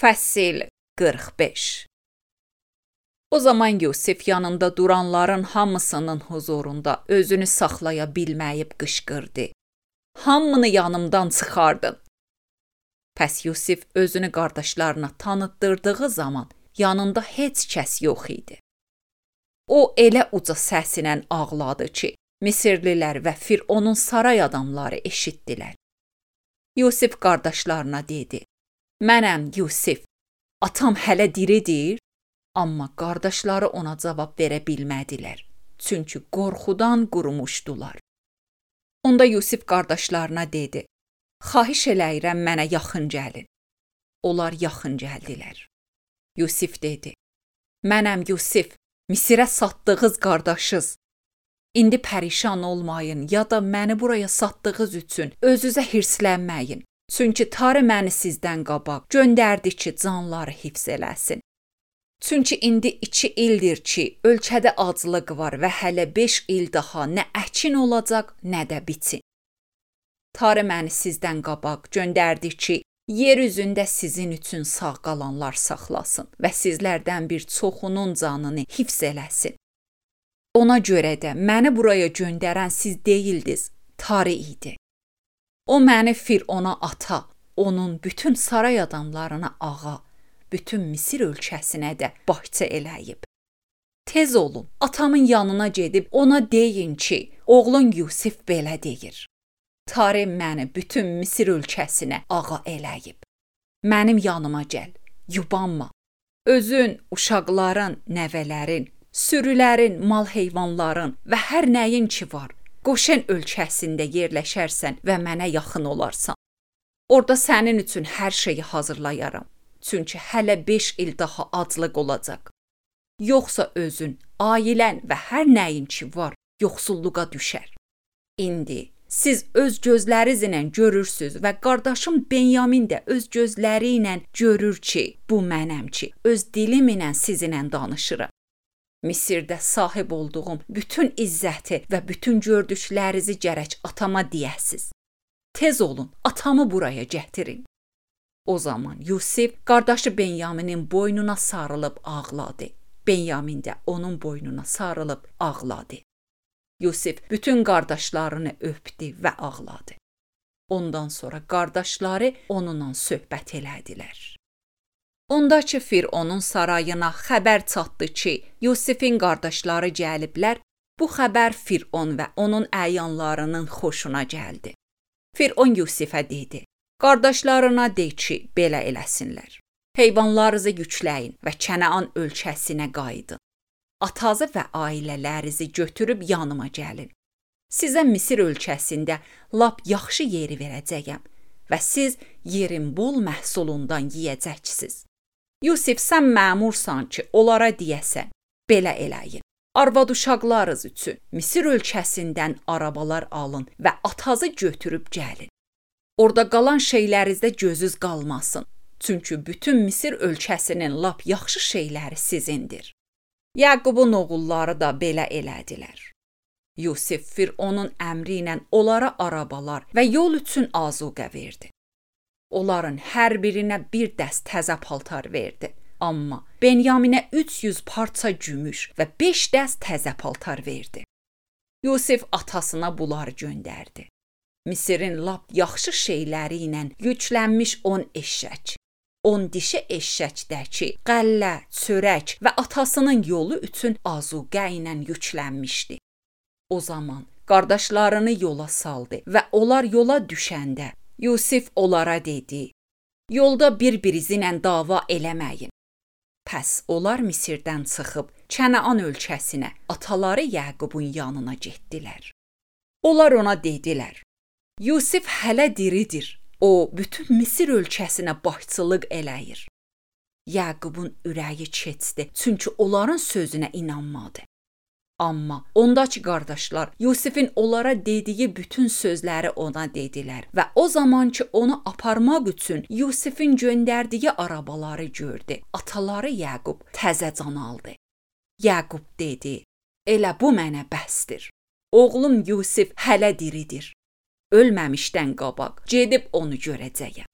Fəsil 45. O zaman Yusif yanında duranların hamısının huzurunda özünü saxlaya bilməyib qışqırdı. Hamını yanımdan çıxardın. Pəs Yusif özünü qardaşlarına tanıtdırdığı zaman yanında heç kəs yox idi. O elə uca səsilə ağladı ki, Misirlilər və Fironun saray adamları eşitdilər. Yusif qardaşlarına dedi: Mənəm Yusif, atam hələ diridir? Amma qardaşları ona cavab verə bilmədilər, çünki qorxudan qurumuşdular. Onda Yusif qardaşlarına dedi: Xahiş eləyirəm mənə yaxın gəlin. Onlar yaxın gəldilər. Yusif dedi: Mənəm Yusif, Misirə satdığınız qardaşız. İndi pərişan olmayın ya da məni buraya satdığınız üçün özünüzə hirslənməyin. Çünki Tanrı məni sizdən qabaq göndərdi ki, canları hifz eləsin. Çünki indi 2 ildir ki, ölkədə aclıq var və hələ 5 il daha nə əkin olacaq, nə də biçin. Tanrı məni sizdən qabaq göndərdi ki, yer üzündə sizin üçün sağ qalanlar saxlasın və sizlərdən bir çoxunun canını hifz eləsin. Ona görə də məni buraya göndərən siz deyildiniz, Tanrı idi. O məni Firona ata, onun bütün saray adamlarına ağa, bütün Misir ölkəsinə də başçı eləyib. Tez olun, atamın yanına gedib ona deyin ki, oğlun Yusif belə deyir. Tanrı məni bütün Misir ölkəsinə ağa eləyib. Mənim yanıma gəl, yubanma. Özün, uşaqların, nəvələrin, sürülərin, mal heyvanların və hər nəyin ki var, Qoşen ölkəsində yerləşərsən və mənə yaxın olarsan. Orada sənin üçün hər şeyi hazırlayaram. Çünki hələ 5 il daha aclıq olacaq. Yoxsa özün, ailən və hər nəyin ki var, yoxsulluğa düşər. İndi siz öz gözlərinizlə görürsüz və qardaşım Benyamin də öz gözləri ilə görür ki, bu mənəm ki, öz dilim ilə sizinlə danışıram. Misirdə sahib olduğum bütün izzəti və bütün gördüklərinizi gərək atama deyəsiz. Tez olun, atamı buraya gətirin. O zaman Yusif qardaşı Benyaminin boynuna sarılıb ağladı. Benyamin də onun boynuna sarılıb ağladı. Yusif bütün qardaşlarını öpdü və ağladı. Ondan sonra qardaşları onunla söhbət elədilər. Onda ki, Fironun sarayına xəbər çatdı ki, Yusifin qardaşları gəliblər, bu xəbər Firon və onun əyanlarının xoşuna gəldi. Firon Yusifə dedi: Qardaşlarına de ki, belə eləsinlər. Heyvanlarınızı yükləyin və Kənaan ölkəsinə qayıdın. Atazı və ailələrinizi götürüb yanıma gəlin. Sizə Misir ölkəsində lap yaxşı yeri verəcəyəm və siz yerin bol məhsulundan yeyəcəksiniz. Yusif, sən məmursan ki, onlara deyəsən, belə eləyin. Arvad uşaqlarınız üçün Misir ölkəsindən arabalar alın və atazı götürüb gəlin. Orada qalan şeylərinizdə gözünüz qalmasın. Çünki bütün Misir ölkəsinin lap yaxşı şeyləri sizindir. Yaqubun oğulları da belə elədilər. Yusif Fironun əmri ilə onlara arabalar və yol üçün azuqə verdi. Onların hər birinə bir dəst təzə paltar verdi. Amma Benyaminə 300 parça gümüş və 5 dəst təzə paltar verdi. Yusif atasına bunları göndərdi. Misirin lap yaxşı şeyləri ilə yüklənmiş 10 eşşək, 10 dişi eşşəkdəki qəllə, çörək və atasının yolu üçün azuqə ilə yüklənmişdi. O zaman qardaşlarını yola saldı və onlar yola düşəndə Yusif onlara dedi: Yolda bir-birinizlə dava eləməyin. Pəs onlar Misirdən çıxıb Kənaan ölkəsinə, ataları Yaqubun yanına getdilər. Onlar ona dedilər: Yusif hələ diridir. O bütün Misir ölkəsinə başçılıq eləyir. Yaqubun ürəyi keçdi, çünki onların sözünə inanmadı. Amma ondakı qardaşlar Yusifin onlara dediyi bütün sözləri ona dedilər və o zaman ki onu aparmaq üçün Yusifin göndərdiyi arabaları gördü, ataları Yaqub təzə can aldı. Yaqub dedi: Elə bu mənə bəsdir. Oğlum Yusif hələ diridir. Ölməmişdən qabaq gedib onu görəcəyəm.